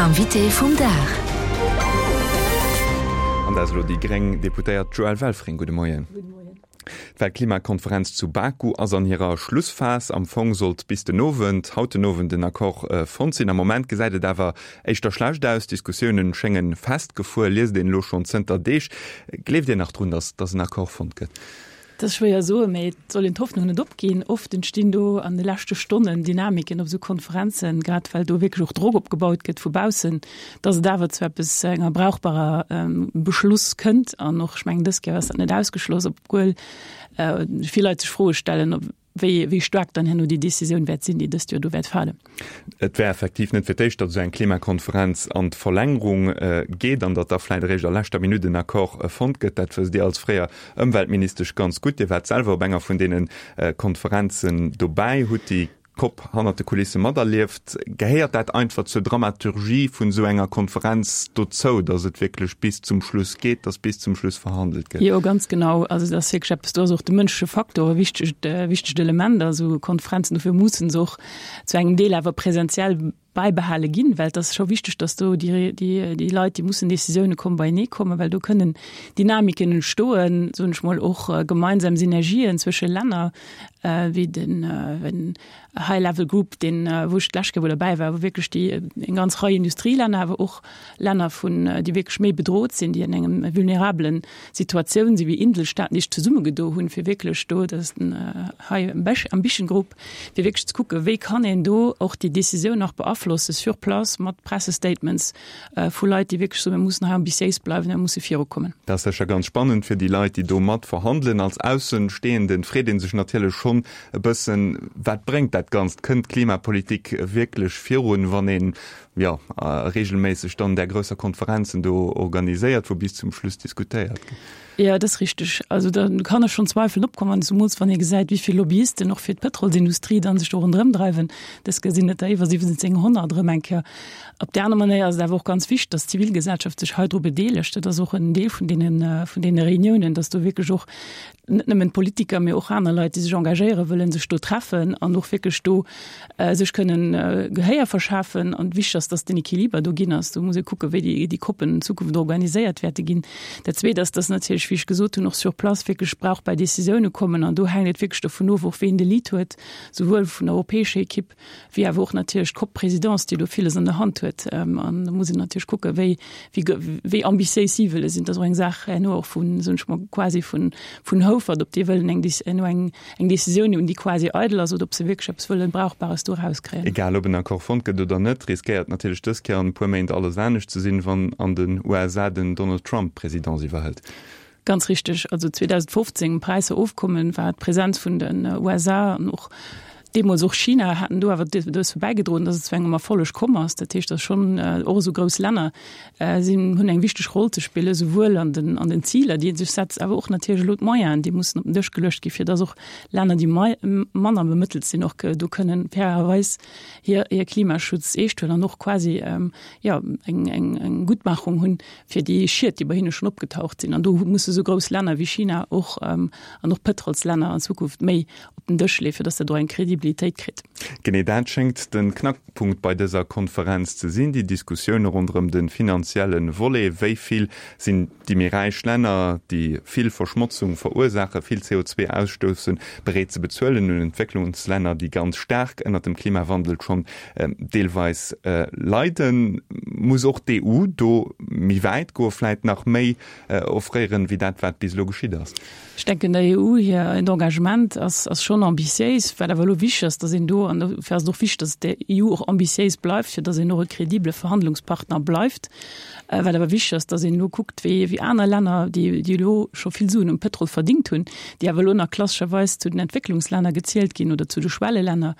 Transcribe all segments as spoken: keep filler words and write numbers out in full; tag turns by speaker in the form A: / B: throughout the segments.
A: Invité vum Dag.
B: An dat ass elo déi gréng Deputéiert Joëlle Welfring. Gudde Moien.
C: Gudde Moien.
B: D'Weltklimakonferenz zu Baku ass an hirer Schlussphas. Am Fong sollt bis den Owend, haut den Owend, den Accord fonnt sinn. Am Moment gesäit et awer éischter schlecht aus. D'Diskussioune schénge festgefuer, liest een elo schonn zënter Deeg. Gleeft Dir nach drun, datt datt en Accord fonnt gëtt?
C: Dat ass schwéier soen, mee et soll een d'Hoffnung net opginn. Oft entstinn do an de leschte Stonnen Dynamiken op esou Konferenzen, grad well do wierklech och Drock opgebaut gëtt vu baussen, datt et awer zu eppes, enger brauchbarer Beschluss kënnt. An och, ech mengen, dës Kéier ass dat net ausgeschloss, obwuel vill Leit sech Froe stellen, ob wéi, wéi staark dann herno déi Decisioun wäert sinn, déi dëst Joer do wäert falen.
B: Et wär effektiv net fir d'éischt, datt esou eng Klimakonferenz an d'Verlängerung geet an datt da vläicht eréischt a leschter Minutt en Accord fonnt gëtt. Dat wësst Dir als fréier Ëmweltministesch ganz gutt. Dir waart selwer op enger vun deene Konferenzen dobäi, hutt déi Cop hannert de Kulisse materlieft. Gehéiert dat einfach zur Dramaturgie vun esou enger Konferenz dozou, datt et wierklech bis zum Schluss geet, datt bis zum Schluss verhandelt gëtt?
C: Jo, ganz genau. Also dat ass wierklech eppes, do ass och de mënschleche Faktor e wichtegt, wichtegt Element a sou Konferenzen. Dofir mussen se och zu engem Deel awer presentiell bäibehale ginn, well et ass scho wichteg, datt do déi, déi, déi Leit, déi mussen Decisioune kommen, beienee kommen, well do kënnen Dynamiken entstoen, soen ech mol, och gemeinsam Synergien zwësche Länner, wéi den High Level Group, deen, wou ech d'lescht Kéier wou derbäi war, wou wierklech déi eng ganz Rei Industrielänner, awer och Länner vun, déi wierklech méi bedroht sinn, déi an engem vulnerabelen Situatioun sinn, wéi Inselstaaten, déi sech zesummegedo hunn, fir wierklech do, dat ass den High Ambition Group, fir wierklech ze kucken, wéi kann een do och déi Décisioun nach beaflossen sur place mat Pressestatements vu Leit, déi wierklech soen, mir mussen hei ambitiéis bleiwen, mir musse virukommen.
B: Dat ass sécher ganz spannend fir déi Leit, déi do mat verhandelen. Als Aussenstehenden freet ee sech natierlech schonn e bëssen, Wat bréngt dat Ganzt? Kënnt d'Klimapolitik wierklech virun, wann een, jo, reegelméisseg dann där grousser Konferenzen do organiséiert, wou bis zum Schluss diskutéiert gëtt?
C: Jo, dat ass richteg. Also da kann e schonn Zweifeln opkommen, zumools wann ee gesäit, wéi vill Lobbyisten och fir d'Pëtrolsindustrie dann sech do ronderëm dreiwen. Dës Kéier sinn et der iwwer siwwenzénghonnert erëm eng Kéier. Op där aner Manéier ass et awer och ganz wichteg, dass d'Zivilgesellschaft sech hei dru bedeelegt. Dat ass och en Deel vun deenen, vun deene Reuniounen, dass do wierklech och net nëmmen d'Politiker, mee och aner Leit, déi sech engagéiere wëllen, sech do treffen an och wierklech do sech kënnen Gehéier verschafen. An wichteg ass, dass den Equiliber do ginn ass. Do muss ee kucken, wéi déi, déi COPen an Zukunft organiséiert wäerte ginn. Dat Zweet ass, dass natierlech, wéi ech gesot hunn, och sur place wierklech brauchbar Décisioune kommen. An do hänkt et wierklech dovun of, och ween de Lead huet, souwuel vun der europäescher Ekipp wéi awer och natierlech d'COP-Présidence, déi do villes an der Hand huet. An do muss een natierlech kucken, wéi, wéi, wéi ambitiéis si wëlle sinn. Dat ass och eng Saach herno och vun, soen ech mol, quasi vun, vun Houfert, ob déi wëllen eng, herno eng, eng Décisioun hunn, déi quasi eidel ass, oder ob se wierklech eppes wëllen Brauchbares do erauskréien.
B: Egal ob en Accord fonnt gëtt oder net, riskéiert natierlech dës Kéier an e puer Méint alles anescht ze sinn, wann an den U S A den Donald Trump d'Presidence iwwerhëlt.
C: Ganz richteg. Also zweedausendfofzéng, Paräisser Ofkommen, war d'Präsenz vun den U S A an och deemools och China haten do awer dozou bäigedroen, datt et zu engem Erfolleg komm ass. Dat heescht, datt schonn och esou grouss Länner sinn, hunn eng wichteg Roll ze spillen, souwuel an den, an den Ziler, déi ee sech setzt, awer och natierlech elo d'Moyenen, déi mussen op den Dësch geluecht ginn, fir datt och Länner, déi manner bemëttelt sinn, och do kënnen fairerweis hir, hir Klimaschutz eescht huelen an och quasi, jo, eng, eng, eng Guttmachung hunn fir déi Schied, déi bei hinne schonn opgetaucht sinn. An do musse esou grouss Länner wéi China och an och Pëtrolslänner an Zukunft méi op den Dësch leeën, fir datt dat och eng Kredibilitéit kritt.
B: Genee dat schéngt de Knackpunkt bei dëser Konferenz ze sinn, déi Diskussioune ronderëm de finanzielle Volet. Wéi vill sinn déi méi räich Länner, déi vill Verschmotzung verursaachen, vill C O zwee ausstoussen, bereet ze bezuelen un Entwécklungslänner, déi ganz staark ënnert dem Klimawandel schonn deelweis leiden? Muss och d'E U do méi wäit goen, vläit nach méi offréieren, wéi dat, wat bis elo geschitt ass?
C: Ech denken, der E U hir Engagement ass, ass schonn ambitiéis. Wat awer elo wichteg ass, datt een do, an dofir ass et och wichteg, datt d'E U och ambitiéis bleift, fir datt een och e kredibele Verhandlungspartner bleift. Wat awer wichteg ass, datt een elo kuckt, wéi, wéi aner Länner, déi, déi elo scho vill Suen um Pëtrol verdingt hunn, déi awer elo nach klassescherweis zu den Entwécklungslänner gezielt ginn oder zu de Schwellelänner,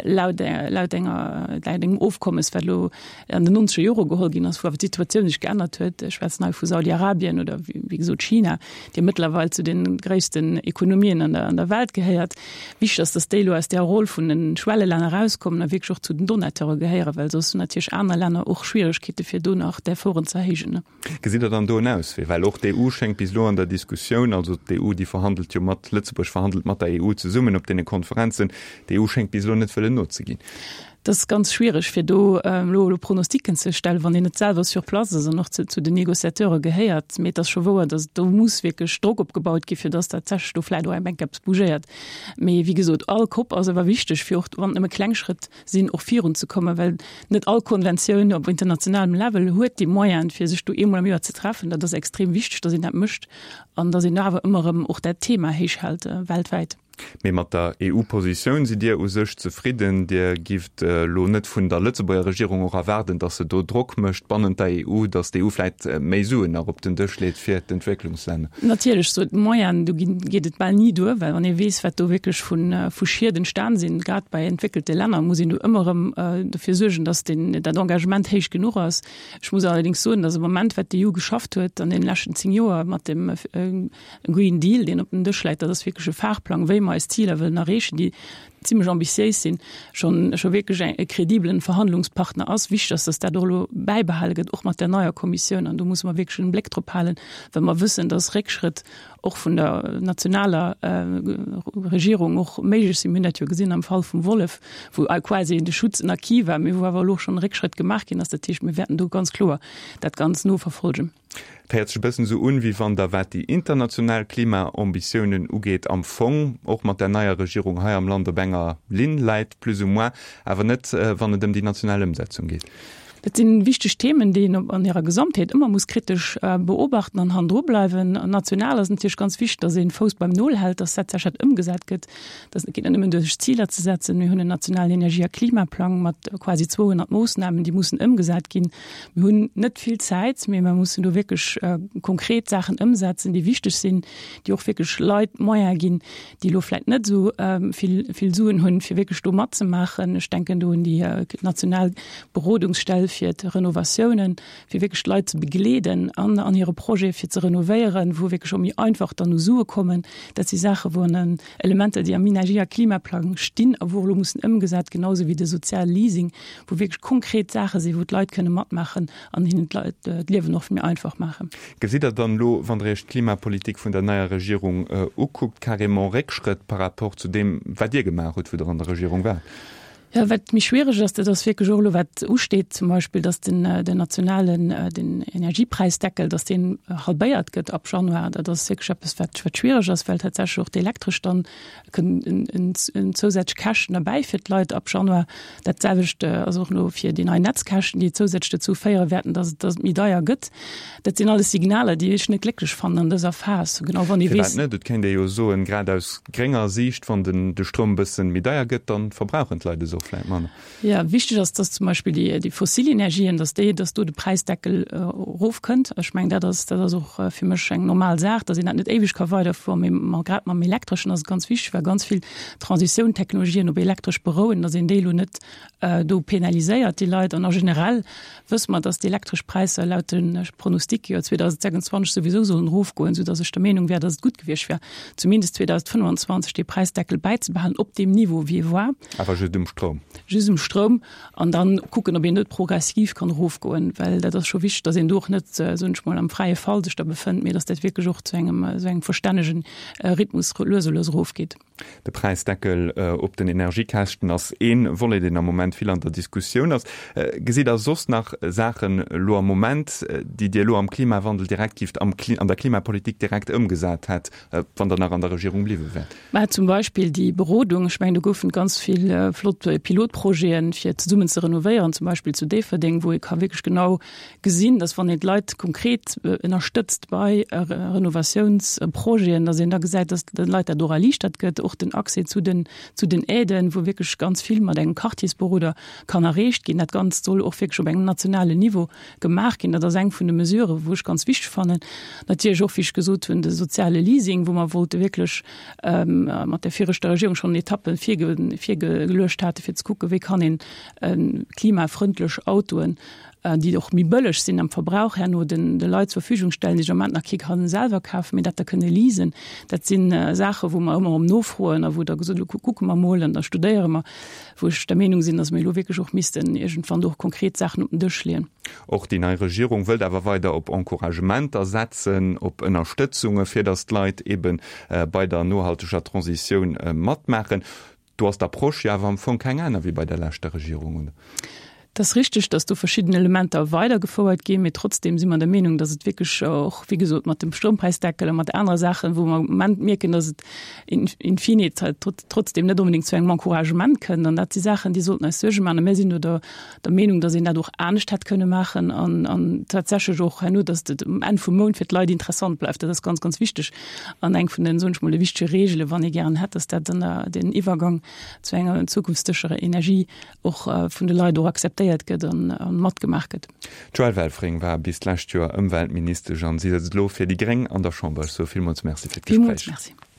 C: laut, laut enger, laut engem Ofkommes, wat elo an den nonzeger Jore geholl ginn ass, wou awer d'Situatioun sech geännert huet. Ech schwätzen hei vu Saudi-Arabien oder, wéi gesot, China, déi mëttlerweil zu den gréissten Ekonomien an der, an der Welt gehéiert. Wichteg ass, dass déi elo aus där Roll vun den Schwellelänner erauskommen a wierklech och zu den Donateure gehéieren, well soss hunn natierlech aner Länner och Schwieregkeete fir do nach d'Efforten ze erhéijen.
B: Gesitt Der dann do en Auswee? Well och d'E U schéngt bis elo an der Diskussioun, also d'E U, déi verhandelt jo mat, Lëtzebuerg verhandelt mat der E U zesummen op deene Konferenzen, d'E U schéngt bis elo net wëllen nozeginn.
C: Dat ass ganz schwiereg, fir do elo elo Pronosticken ze stellen, wann een net selwer sur place ass an och zu zu den Négociateure gehéiert. Mee et ass scho wouer, datt do muss wierklech Drock opgebaut gi fir datt tatsächlech do vläicht och eng Enk eppes bougéiert. Mee wéi gesot, all Cop ass awer wichteg, fir och, wann et nëmme kleng Schrëtt sinn, och virunzekommen, well net all Konventioun op internationalem Level huet déi Moyenen, fir sech do eemol am Joer ze treffen. Dat ass extrem wichteg, datt een dat mécht an datt een awer ëmmer erëm och dat Thema héich hält weltwäit.
B: Mee mat der E U-Positioun sidd Dir u sech zefridden? Dir gifft elo net vun der Lëtzebuerger Regierung och erwaarden, datt se do Drock mécht bannent der E U, datt d'E U vläicht méi Suen nach op den Dësch leet fir d'Entwécklungslänner?
C: Natierlech, sou d'Moyenen, do ginn, geet et bal ni duer, well wann ee weess, wat do wierklech vu vu Schied entstan sinn, grad bei entwéckelte Länner, muss een do ëmmer erëm dofir suergen, datt deen, dat Engagement héich genuch ass. Ech muss allerdéngs soen, datt am Moment, wat d'E U geschafft huet an deene leschten zéng Joer mat dem Green Deal, deen op dem Dësch läit, dat ass wierklech e Fahrplang, wéi mer eis Ziler wëllen erreechen, déi zimlech ambitiéis sinn, schonn scho wierklech e kredibelen Verhandlungspartner ass. Wichteg ass, datt dat och elo bäibehale gëtt, och mat der neier Kommissioun. An do musse mer wierklech en Bléck drop halen, well mer wëssen, datt Réckschrëtt och vun der nationaler Regierung och méiglech sinn. Mir hunn dat jo gesinn am Fall vum Wollef, wou quasi de Schutz en Acquis war, mee wou awer elo schonn e Réckschrëtt gemaach ginn ass. Dat heescht, mir wäerten do ganz kloer dat Ganzt noverfolgen.
B: Et héiert sech e bëssen esou un, wéi wann Der, wat déi international Klimaambitiounen ugeet, am Fong och mat der neier Regierung hei am Land op enger Linn läit, plus ou moins, awer net, wann et ëm déi national Ëmsetzung geet.
C: Dat si wichteg Themen, déi een an hirer Gesamtheet ëmmer muss kritesch beobachten an hannendru bleiwen. National ass natierlech ganz wichteg, datt een Fouss beim Nol hält, datt dat sécher ëmgesat gëtt. Dat geet net nëmmen duer, sech Ziler ze setzen. Mir hunn en nationalen Energie a Klimaplang mat quasi zweehonnert Moossnamen, déi mussen ëmgesat ginn. Mir hunn net vill Zäit, mee mer mussen do wierklech konkret Saachen ëmsetzen, déi wichteg sinn, déi och wierklech Leit Moyene ginn, déi elo vläicht net esou vill, vill Suen hunn, fir wierklech do matzemaachen. Ech denken do un déi national Berodungsstell fir d'Renovatiounen, fir wierklech d'Leit ze begleeden an an hire Projet fir ze renovéieren, wou wierklech och méi einfach dann u Sue kommen. Dat si Saachen, wou an Elementer, déi am Energie a Klimaplang stinn a wou elo mussen ëmgesat, genau esou wéi de soziale Leasing, wou wierklech konkret Saache sinn, wou d'Leit kënne matmaachen an hinnen d'Liewen och méi einfach maachen.
B: Gesitt Der dann elo, wann Der Iech d'Klimapolitik vun der neier Regierung ukuckt, carrément Réckschrëtt par rapport zu deem, wat Dir gemaach hutt, wou Der an der Regierung waart?
C: Jo, wat méi schwiereg ass, dat ass wierklech och elo wat usteet, zum Beispill, dass den, den nationalen, den Energiepräisdeckel, dass deen halbéiert gëtt ab Januar. Dat ass wierklech eppes, wat, wat schwiereg ass, well tatsächlech och d'Elektresch dann kënn en, en, en zousätzlech Käschten erbäi fir d'Leit ab Januar. Dat selwecht ass och elo fir déi nei Netzkäschten, déi zousätzlech dozou féiere wäerten, dass et, dass et méi deier gëtt. Dat sinn alles Signaler, déi ech net glécklech fannen an dëser Phas, genau wann ee
B: weess. Firwat net? Et kéint ee jo soen, grad aus grénger Siicht, wann den, de Stroum e bëssen méi deier gëtt, dann verbrauchen d'Leit es och vläit manner.
C: Jo, wichteg ass, dass zum Beispill déi, déi fossil Energien, dass déi, dass do de Präisdeckel erofkënnt. Ech mengen, dat ass, dat ass och fir mech eng normal Saach, dass een dat net éiweg ka weiderfueren. Mee ma grad mam Elektreschen ass et ganz wichteg, well ganz vill Transitioun-Technologien op Elektresch berouen, dass een déi elo net do penaliséiert, déi Leit. An a generell wësse mer, dass d'elektresch Präisser laut de Pronosticke jo zweedausendsechsundzwanzeg souwisou sollen erofgoen, soudass ech der Meenung wär, dass et gutt gewiescht wär, zumindest zweedausendfënnefanzwanzeg dee Präisdeckel bäizebehalen op deem Niveau, wéi e war.
B: Awer just um Stroum?
C: Just um Stroum. An dann kucken, ob een net progressiv kann erofgoen, well dat ass scho wichteg, dass een do och net, soen ech mol, am fräie Fall sech da befënnt, mee dass dat wierklech och zu engem esou engem verstännegen Rhythmus lues a lues erofgeet.
B: De Präisdeckel op den Energiekäschten ass ee Volet, deen am Moment vill an der Diskussioun ass. Gesitt Der soss nach Saachen elo am Moment, déi Dir elo am Klimawandel direkt gifft, am an der Klimapolitik direkt ëmgesat hätt, wann Der nach an der Regierung bliwwe wäert?
C: Mä zum Beispill déi Berodung, ech mengen, do goufen et ganz vill flott Pilotprojeten, fir zesummen ze renovéieren, zum Beispill zu Déifferdeng, wou ee ka wierklech genau gesinn, dass wann een d'Leit konkret ënnerstëtzt bei Renovatiounsprojeten, dass een da gesäit, dass de Leit dat och erliichtert gëtt, och den Accès zu den, zu den Aiden, wou wierklech ganz vill mat engem Quartiersberoder kann erreecht ginn. Dat Ganzt soll och wierklech op engem nationalen Niveau gemaach ginn. Dat ass eng vun de Mesuren, wou ech ganz wichteg fannen. Natierlech och, wéi ech gesot hunn, de soziale Leasing, wou mer wollte wierklech mat der viregter Regierung schonn Etappen virgeluecht hate fir ze kucken, wéi kann een klimafrëndlech Autoen, déi och méi bëlleg sinn am Verbrauch, herno den de Leit zur Verfügung stellen, déi sech am Moment nach kee kann selwer kafen, mee dat da kënne leasen. Dat si Saachen, wou mer ëmmer erëm nofroen a wou da gesot gëtt, kucke mer mol an da studéiere mer, wou ech der Meenung sinn, datt mir elo wierklech och missten iergendwann do och konkret Saachen op den Dësch leeën.
B: Och déi nei Regierung wëllt awer weider op Encouragementer setzen, op Ënnerstëtzunge fir datt d'Leit ebe bei der nohalteger Transitioun matmaachen. Do ass d'Approche jo awer am Fong keng aner wéi bei der leschter Regierung, oder?
C: Et ass richteg, dass do verschidden Elementer weidergefouert ginn, mee trotzdem si mer der Meenung, dass et wierklech och, wéi gesot, mat dem Stroumpreisdeckel a mat anere Saachen, wou mer am Moment mierken, dass et in, in fine trotzdem net onbedéngt zu engem Encouragement kënnt. An dat si Saachen, déi sollten eis Suerge maachen. A mir sinn do der, der Meenung, dass een dat och anescht hätt kënne maachen an, an tatsächlech och herno, dass et um Enn vum Mount fir d'Leit interessant bleift. Dat ass ganz, ganz wichteg an eng vun den, soen ech mol, de wichtege Regele, wann ee gären hätt, dass dat dann den Iwwergang zu enger zukunftssicherer Energie och vun de Leit och akzeptéiert gëtt an matgemaach gëtt.
B: D'Joëlle Welfring war bis d'lescht Joer Ëmweltministesch an si sëtzt elo fir déi Gréng an der Chamber. Ech soe villmools Merci fir d'Gespréich.
C: Villmools Merci.